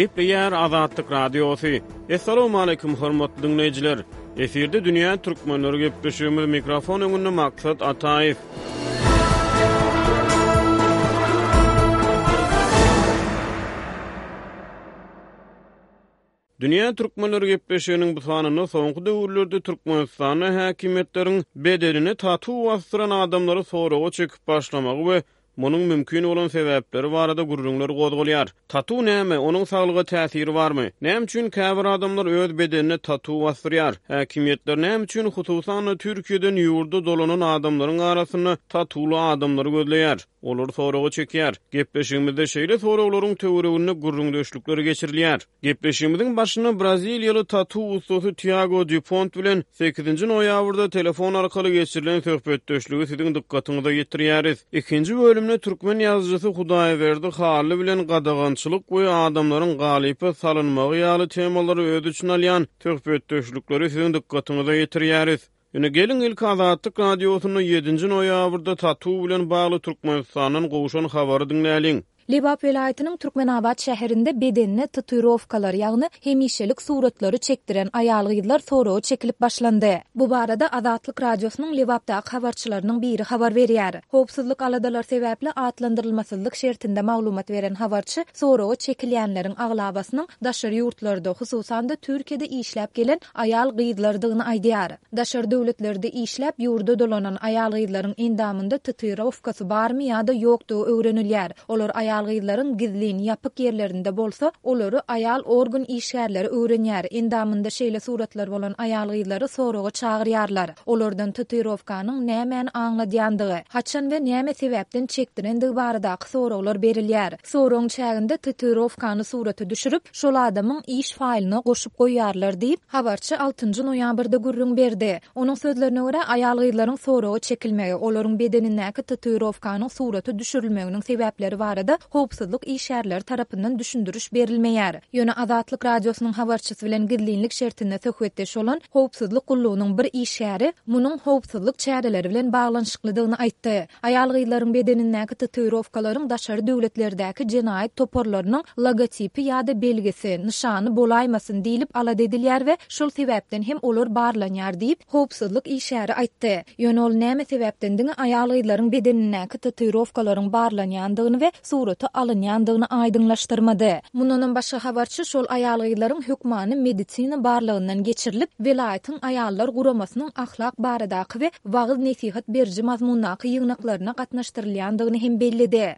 Gepleýär Azatlyk Radiosy. Assalamualaikum hormatly diňleýjiler. Efirde dünýä türkmenleri gepleşigimiz mikrofon öňünde Maksat Ataýew. Dünýä türkmenleri gepleşiginiň bu sanynda soňky döwürlerde Türkmenistanda häkimiýetleriň bedenine tatu basdyran adamlary soraga çekip başlamagy we munuň mümkin bolan sebäpleri barada gürrüňler gozgalýar. Tatu näme? Onuň saglyga täsiri barmy? Näme üçin käbir adamlar öz bedenine tatu basdyrýar? Häkimiýetler näme üçin, hususan-da, Türkiýeden ýurda dolanan adamlaryň arasynda tatuly adamlary gözleýär? Olary soraga çekýär. Gepleşigimizde şeýle soraglaryň töwereginde gürrüňdeşlikler geçirilýär. Gepleşigimiziň başynda braziliýaly tatu ussasy Tiago Dýupont bilen sekizinji noýabrda telefon arkaly geçirilen söhbetdeşligi siziň dykgatyňyza ýetirýäris. Ikinji bölümde türkmen ýazyjysy Hudaýberdi Hally bilen gadagançylyk we adamlaryň galypa salynmagy ýaly temalary öz içine alýan söhbetdeşlikleri siziň dykgatyňyza ýetirýäris. Ýöne geliň ilki Azatlyk Radiosynda ýedinji noýabrda tatu bilen bagly Türkmenistandan gowşan habary diňläliň. Lebap welaýatynyň Türkmenabat şäherinde bedenine tatuirowkalar, ýagny hemişelik suratlary çekdiren aýal-gyzlar soraga çekilip başlandy. Bu barada Azatlyk Radiosynyň Lebapdaky habarçylarynyň biri habar berýär. Howpsuzlyk aladalary sebäpli atlandyrylmasyzlyk şertinde maglumat beren habarçy soraga çekilýänleriň aglabasynyň daşary ýurtlarda, hususan-da Türkiýede işläp gelen aýal-gyzlardygyny aýdýar. Daşary döwletlerde işläp, ýurda dolanan aýal-gyzlaryň endamynda tatuirowkasy barmy ýa-da ýokdugy öwrenilýär. Olar aýal-gyzlaryň gizlin, ýapyk ýerlerinde bolsa, olary aýal organ işgärleri öwrenýär. Endamynda şeýle suratlar bolan aýal-gyzlary soraga çagyrýarlar. Olardan tatuirowkanyň nämäni aňladýandygy, haçan we näme sebäpden çekdirendigi baradaky soraglar berilýär. Soragyň çäginde tatuirowkany surata düşürip, şol adamyň iş faýlyna goşup goýýarlar diýip, habarçy altynjy noýabrda gürrüň berdi. Onuň sözlerine görä, aýal-gyzlaryň soraga çekilmegi, olaryň bedenindäki tatuirowkanyň surata düşürilmeginiň sebäpleri barada howpsuzlyk işgärleri tarapyndan düşündiriş berilmeýär. Ýöne Azatlyk Radiosynyň habarçysy bilen gizlinlik şertinde söhbetdeş bolan howpsuzlyk gullugynyň bir işgäri munuň howpsuzlyk çäreleri bilen baglanyşyklydygyny aýtdy. Aýal-gyzlaryň bedenindäki tatuirowkalaryň daşary döwletlerdäki jenaýat toparlarynyň logotipi ýa-da belgisi, nyşany bolaýmasyn diýlip alada edilýär we şol sebäpden hem olar barlanýar diýip, howpsuzlyk işgäri aýtdy. Ýöne ol näme sebäpden diňe aýal-gyzlaryň bedenindäki tatuirowkalaryň barlanýandygyny we surata alynýandygyny aýdyňlaşdyrmady. Mundanam başga habarçy şol aýal-gyzlaryň hökmany medisina barlagyndan geçirilip, welaýatyň aýallar guramasynyň ahlak baradaky we wagyz-nesihat beriji mazmundaky ýygnaklaryna gatnaşdyrylýandygyny hem belledi.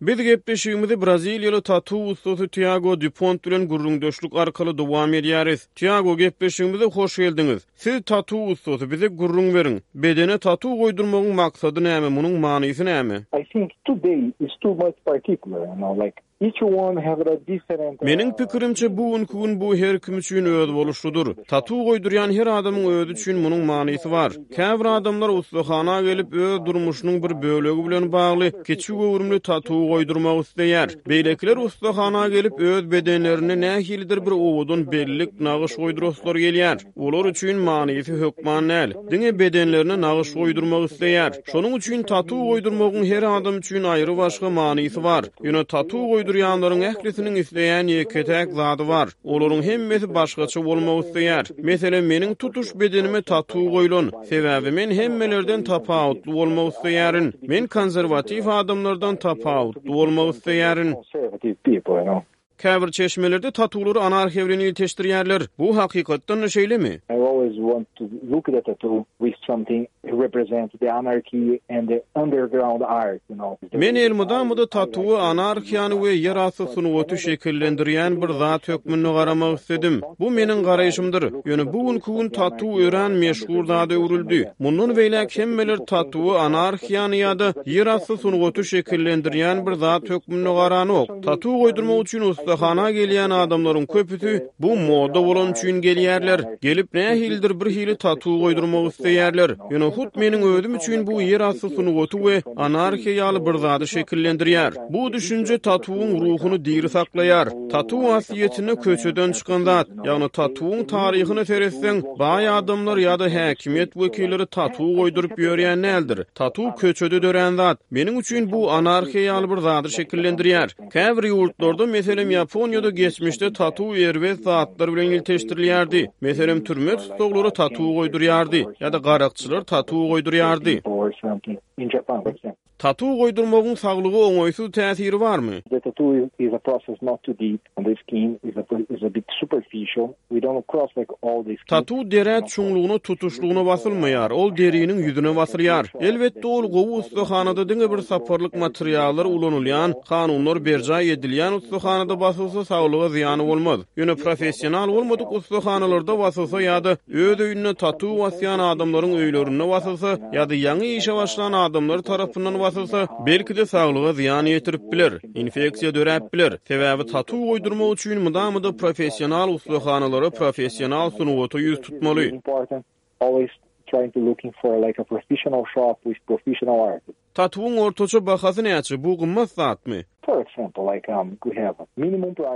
Biz gepleşigimizi braziliýaly tatu ussasy Tiago Dupont bilen gürrüňdeşlik arkaly dowam edýäris. Tiago, gepleşigimize hoş geldiňiz. Siz tatu ussasy, bize gürrüň beriň. Bedene tatu goýdurmagyň maksady näme, munuň manysy näme? I think today is too much particular, you know, like each one have a different. Meniň pikirimçe, bu günki gün bu her kim üçin özboluşlydyr. Tatu goýdurýan her adamyň özi üçin munuň manysy bar. Käbir adamlar ussahana gelip, öz durmuşynyň bir bölegi bilen bagly kiçi göwrümli tatu goýdurmak isleýär. Beýlekiler ussahana gelip, öz bedenlerinde nähilidir bir owadan bellik, nagyş goýduraslary gelýär. Olar üçin manysy hökman däl. Diňe bedenlerine nagyş goýdurmak isleýär. Şonuň üçin tatu goýdurmagyň her adam üçin aýry-başga manysy bar. Ýöne tatu goýdurýanlaryň ählisiniň isleýän ýeke-täk zady bar. Olaryň hemmesi başgaça bolmak isleýär. Meselem, meniň tutuş bedenime tatu goýlan. Sebäbi men hemmelerden tapawutly bolmak isleýärin. Men konserwatiw adamlardan tapawutly bolmak isleýärin. Käbir çeşmelerde tatulary anarhiýa bilen ilteşdirýärler. Bu hakykatdan-da şeýlemi? I always want to look at a tattoo with something represent the anarchy and the underground art, you know. Men elmydama-da tatuwa anarhiýany we ýerasty sungaty şekillendirýän bir zat hökmünde garamak isledim. Bu meniň garaýşymdyr. Ýöne bu günki gün tatu örän meşhur zada öwrüldi. Mundan beýläk hemmeler tatuwa anarhiýany ýa-da ýerasty sungaty şekillendirýän bir zat hökmünde garanok. Tatu goýdurmak üçin ussahana gelýän adamlaryň köpüsi bu moda bolany üçin gelýärler. Gelip nähilidir. nähilidir bir hili tatu goýdurmak isleýärler. Ýöne hut meniň özüm üçin bu ýerasty sungaty we anarhiýa ýaly bir zady şekillendirýär. Bu düşünje tatuwyň ruhuny diri saklaýar. Tatu aslyýetinde köçeden çykan zat. Ýagny tatuwyň taryhyna seretseň, baý adamlar ýa-da häkimiýet wekilleri tatu goýduryp ýörýän däldir. Tatu köçede dörän zat. Meniň üçin bu anarhiýa ýaly bir zady şekillendirýär. Käbir ýurtlarda, meselem, Ýaponiýada geçmişde tatu erbet zatlar bilen ilteşdirilýärdi. Meselem, türme tussaglary tatu goýdurýardy ýa-da garakçylar tatu goýdurýardy. Tatu goýdurmagyň saglyga oňaýsyz täsiri barmy? The tattoo is a process not too deep on the skin, is a is a bit superficial. We don't cross like all the skin. Tatu derä çuňlugyna tutuşlygyna basylmaýar, ol deriniň ýüzüne basylýar. Elbetde, ol gowy ussahanada diňe bir saparlyk materiallar ulanylýan, kanunlar berjaý edilýän ussahanada basylsa saglyga zyýany bolmaz. Ýöne professional bolmadyk ussahanalarda basylsa ýa-da öz öýünde tatu basýan adamlaryň öýlerinde basylsa ýa-da ýaňy işe başlan adamlar tarapyndan basylsa, belki-de saglyga zyýan ýetirip biler, infeksiýa döräp biler. Sebäbi tatu goýdurmak üçin mydama-da professional ussahanalara, professional sungata ýüz tutmaly. Tatuwyň ortaça bahasy näçe, bu gymmat zatmy?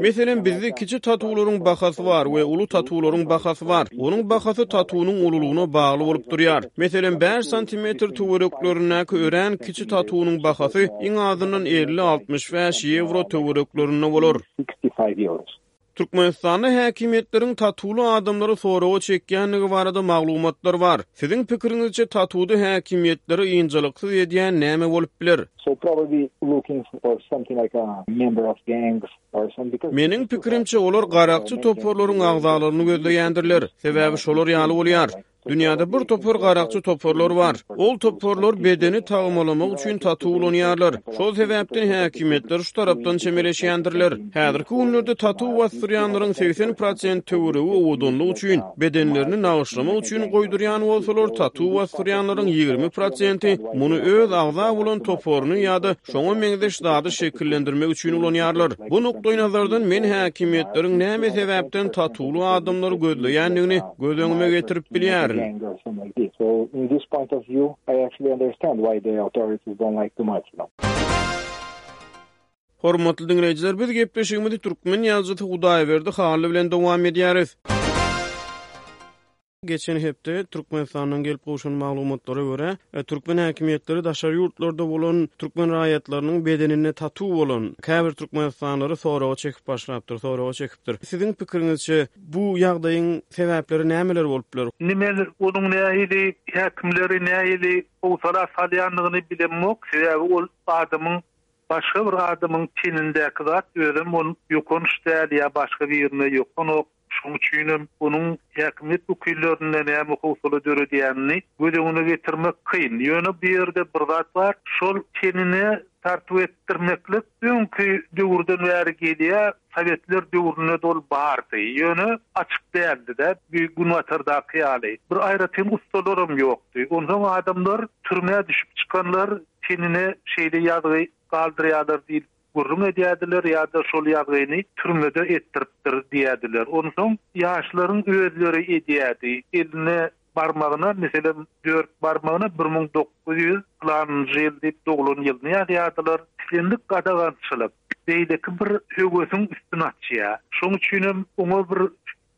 Meselem, bizde kiçi tatuwlaryň bahasy bar we uly tatuwlaryň bahasy bar. Onuň bahasy tatuwynyň ululygyna bagly bolup durýar. Meselem, bäş santimetr töwereklerindäki örän kiçi tatuwynyň bahasy iň azyndan 50-65 ýewro töwereklerinde bolar. Türkmenistanda häkimiýetleriň tatuwly adamlary soraga çekýändigi barada maglumatlar bar. Siziň pikiriňizçe tatuwda häkimiýetleri ynjalyksyz edýän näme bolup biler? Meniň pikirimçe, olar garakçy toparlaryň agzalaryny gözleýändirler. Sebäbi şolar ýaly bolýar. Dünýäde bir topar garakçy toparlar bar. Ol toparlar bedeni tagmalamak üçin tatu ulanýarlar. Şol sebäpden häkimiýetler şu tarapdan çemeleşýändirler. Häzirki günlerde tatu basdyrýanlaryň 80 prosent töweregi owadanlyk üçin, bedenlerini nagyşlamak üçin goýdurýan bolsalar, tatu basdyrýanlaryň 20 prosenti muny öz agza bolan toparyny ýa-da şoňa meňzeş zady şekillendirmek üçin ulanýarlar. Bu nukdaýnazardan men häkimiýetleriň näme sebäpden tatuly adamlary gözleýändigini göz öňüme getirip bilýärin. Hormatly diňleýjiler, biz gepleşigimizi türkmen ýazyjysy Hudaýberdi Hally bilen dowam edýäris. Geçen hepde Türkmenistandan gelip gowşan maglumatlara görä, türkmen häkimiýetleri daşary ýurtlarda bolan türkmen raýatlarynyň bedeninde tatu bolan käbir türkmenistanlylary soraga çekip başlapdyr, soraga çekipdir. Siziň pikiriňizçe, bu ýagdaýyň sebäpleri nämeler bolup biler? Indi men onuň nähili häkimleri nähili howsala salýandygyny bilemok, sebäbi ol adamyň başga bir adamyň tenindäki zat, özem ol ýokanç däl ýa başga birine ýokanok. Şonuň üçinem onuň häkimiýet wekillerinde näme howsala döredýänini göz öňüne getirmek kyn. Ýöne bu ýerde bir zat bar, şol tenine tartuw etdirmeklik öňki döwürden bäri gelýär, sowetler döwründe-de ol bardy. Ýöne açyk däldi-de, bu günbatardaky ýaly. Bir aýratyn ussalaram ýokdy. Onsoň adamlar türmä düşüp çykanlar tenine şeýle ýazgy galdyrýarlar diýlip gürrüň edýärdiler ýa-da şol ýazgyny türmede etdiripdir diýýärdiler. Onsoň ýaşlaryň özleri edýärdi. Eline barmagyna, meselem, dört barmagyna 1900 pylanynjy ýyl diýip doglan ýylyny ýazýardylar. Islendik gadagançylyk beýleki bir höwesiň üstüni açýar. Şonuň üçinem oňa bir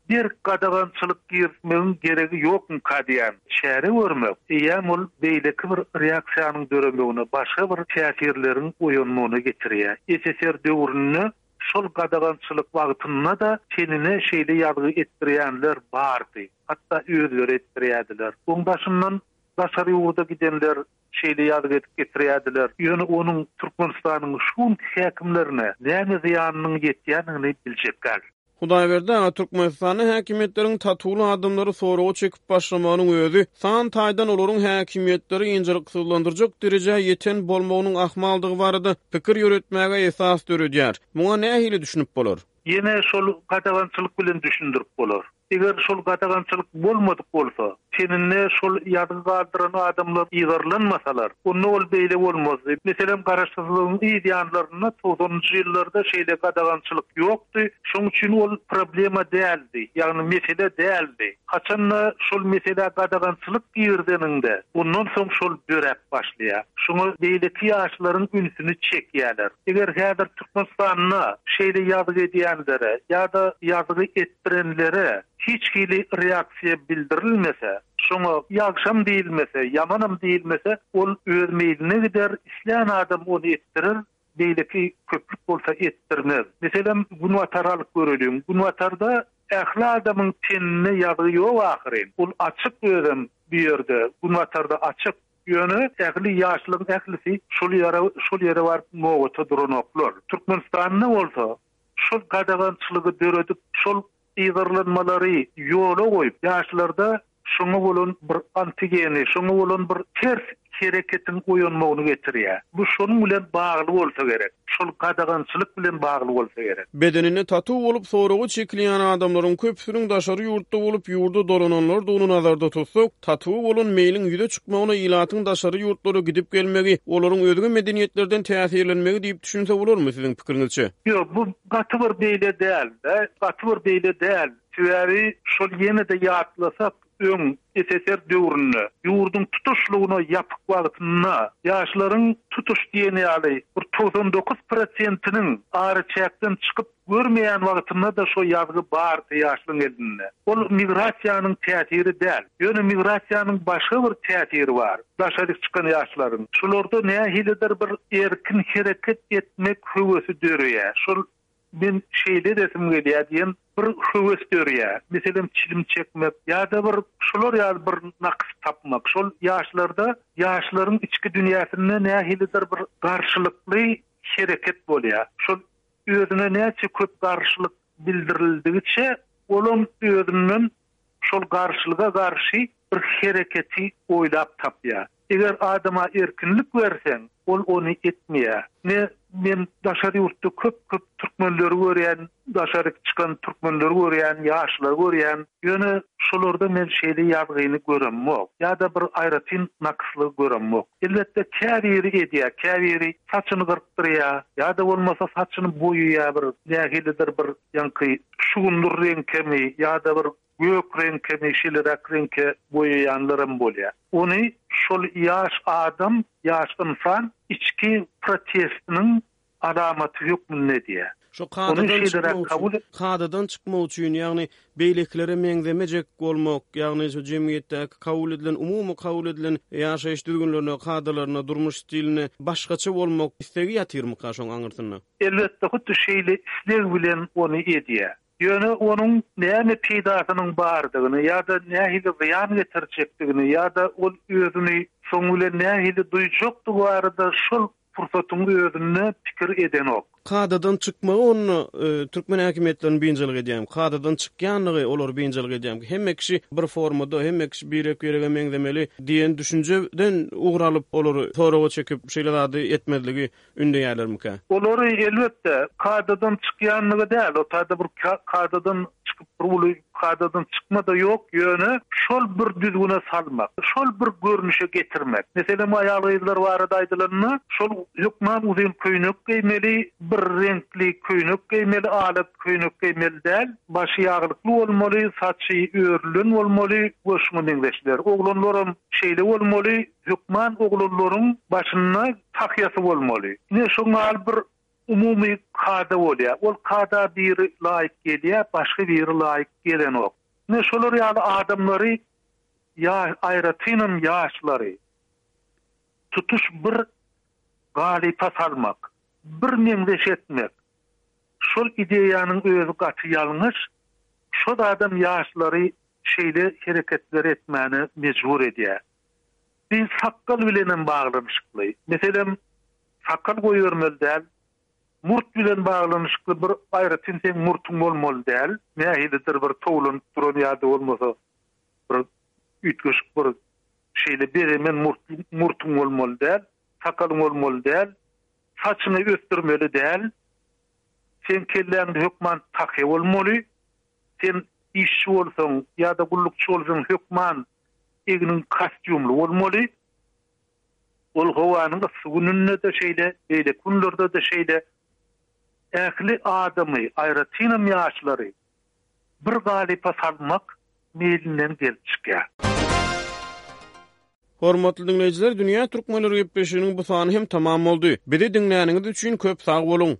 Berk gadagançylyk girizmegiň geregi ýokmyka diýýän. Çäre görmek, eýýäm ol beýleki bir reaksiýanyň döremegine, başga bir täsirleriň oýanmagyna getirýär. SSR döwründe şol gadagançylyk wagtynda-da tenine şeýle ýazgy etdirýänler bardy. Hatda özleri etdirýärdiler. Oň daşyndan daşary ýurda gidenler şeýle ýazgy edip getirýärdiler. Ýöne onuň Türkmenistanyň şu günki häkimlerine näme zyýanynyň ýetýändigini biljek däl. Hudaýberdi aga, Türkmenistanda häkimiýetleriň tatuwly adamlary soraga çekip başlamagynyň özi san taýdan olaryň häkimiýetleri ynjalyksyzlandyrjak derejä ýeten bolmagynyň ahmaldygy barada pikir ýöretmäge esas döredýär. Muňa nähili düşünip bolar? Ýene şol gadagançylyk bilen düşündirip bolar. Eger şol gadagançylyk bolmadyk bolsa, Teninde şol ýazgy galdyran adamlar yzarlanmasalar, onda ol beýle bolmazdy. Meselem, garaşsyzlygyň yz ýanlarynda, togsanynjy ýyllarda şeýle gadagançylyk ýokdy. Şoň üçin ol problema däldi, ýagny mesele däldi. Haçan-da şol meselä gadagançylyk girizeniňde, ondan soň şol döräp başlaýar. Şoňa beýleki ýaşlaryň ünsüni çekýärler. Eger häzir Türkmenistanda şeýle ýazgy edýänlere ýa-da ýazgy etdirenlere hiç hili reaksiýa bildirilmese, şoňa ýagşam diýilmese, ýamanam diýilmese, ol öz meýline gider, islän adam ony etdirer, beýleki köplük bolsa etdirmez. Meselem, Günbatary alyp göreliň. Günbatarda ähli adamyň teninde ýazgy ýok ahyryn. Ol açyk özem bu ýerde, Günbatarda açyk. Ýöne ähli ýaşlaryň ählisi şol ýere şol ýere baryp nobata duranoklar. Türkmenistanda bolsa şol gadagançylygy döredip, şol yzarlanmalary ýola goýup, ýaşlarda şoňa bolan bir antigeni, şoňa bolan bir ters hereketiň oýanmagyny getirýär. Bu şonuň bilen bagly bolsa gerek. Şol gadagançylyk bilen bagly bolsa gerek. Bedeninde tatu bolup soraga çekilýän adamlaryň köpüsiniň daşary ýurtda bolup, ýurda dolananlardygyny nazarda tutsak, tatuwa bolan meýliň ýüze çykmagyna ilatyň daşary ýurtlara gidip gelmegi, olaryň özge medeniýetlerden täsirlenmegi diýip düşünse bolarmy siziň pikiriňizçe? Ýok, bu gaty bir beýle däl-de, gaty bir beýle däl. Sebäbi şol ýene-de ýatlasak, öň, SSR döwründe, ýurduň tutuşlygyna ýapyk wagtynda ýaşlaryň tutuş diýen ýaly bir 99 prosentiniň araçäkden çykyp görmeýän wagtynda-da şo ýazgy bardy ýaşlaryň elinde. Ol migrasiýanyň täsiri däl. Ýöne migrasiýanyň başga bir täsiri bar, daşaryk çykan ýaşlaryň. Şolarda nähilidir bir erkin hereket etmek höwesi döreýär. Şol Men şeýle edesim gelýär diýen bir höwes dörýär. Meselem, çilim çekmek ýa-da bir şular ýaly bir nakys tapmak. Şol ýaşlarda ýaşlaryň içki dünýäsinde nähilidir bir garşylykly hereket bolýar. Şol özüne näçe köp garşylyk bildirildigiçe, olam özünden şol garşylyga garşy bir hereketi oýlap tapýar. Eger adama erkinlik berseň, ol ony etmeýär. Ne men daşary ýurtda köp-köp türkmenleri görýän, daşaryk çykan türkmenleri görýän, ýaşlary görýän. Ýöne şolarda men şeýle ýazgyny göremok ýa-da bir aýratyn nakyslygy göremok. Elbetde käbiri edýär, käbiri saçyny gyrkdyrýar ýa-da bolmasa saçyny boýaýar bir nähilidir bir ýaňky şugundyr reňkemi ýa-da bir gök reňkemi şeýleräk reňke boýaýanlaram bolýar. Ony şol ýaş adam, ýaş ynsan içki protestiniň alamaty hökmünde edýär. Şo kadadan çykmak üçin, kadadan çykmak üçin, ýagny beýlekilere meňzemejek bolmak, ýagny şu jemgyýetdäki kabul edilen, umumy kabul edilen ýaşaýyş düzgünlerine, kadalaryna, durmuş stiline başgaça bolmak islegi ýatyrmyka şoň aňyrsynda? Elbetde, hutdy şeýle isleg bilen ony edýär. Ýöne onuň näme peýdasynyň bardygyny ýa-da nähili zyýan getirjekdigini ýa-da ol özüni şoň bilen nähili duýjakdygy barada şol pursatyň özünde pikir edenok. Kadadan çykmagy onda türkmen häkimiýetlerini biynjalyk edýärmi? Kadadan çykýanlygy olary biynjalyk edýärmi? Hemme kişi bir formada, hemme kişi birek-birege meňzemeli diýen düşünjeden ugur alyp, olary soraga çekip, şeýle zady etmezligi ündeýärlermikä? Olary, elbetde, kadadan çykýanlygy däl, o taýda bir kadadan çykyp bir uly kadadan çykma-da ýok, ýöne şol bir düzgüne salmak, şol bir görnüşe getirmek. Meselem, aýal-gyzlar barada aýdylanda, şol hökman uzyn köýnek geýmeli, bir reňkli köýnek geýmeli, ala köýnek geýmeli däl, başy ýaglykly bolmaly, saçy örülen bolmaly we şuňa meňzeşler. Oglanlaram şeýle bolmaly, Hökman oglanlaryň başynda tahýasy bolmaly. Ine şoň ýaly bir umumy kada bolýar. Ol kada biri laýyk gelýär, başga biri laýyk gelenok. Ine şolar ýaly adamlary ýa aýratynam ýaşlary tutuş bir galypa salmak, bir meňzeş etmek şol ideýanyň özi gaty ýalňyş. Şo zadam ýaşlary şeýle hereketleri etmäne mejbur edýär. Bi sakgal bilenem baglanyşykly. Meselem, sakgal goýbermeli däl. Murt bilen baglanyşykly bir aýratyn seň murtuň bolmaly däl. Nähilidir bir towlanyp duran ýa-da bolmasa bir üýtgeşik bir şeýle bezemen murt murtuň bolmaly däl. Sakalyň bolmaly däl. Saçyňy ösdürmeli däl. Seň kelläňde hökman tahýa bolmaly. Sen işçi bolsaň ýa-da gullukçy bolsaň hökman. Egniň kostýumly bolmaly. Ol howanyň yssy gününde-de şeýle, beýleki günlerde-de şeýle. Ähli adamy, aýratynam ýaşlary bir galypa salmak meýlinden gelip çykýar. Hormatly diňleýjiler, Dünýä Türkmenleri gepleşiginiň bu sany hem tamam boldy. Bizi diňläniňiz üçin köp sag boluň!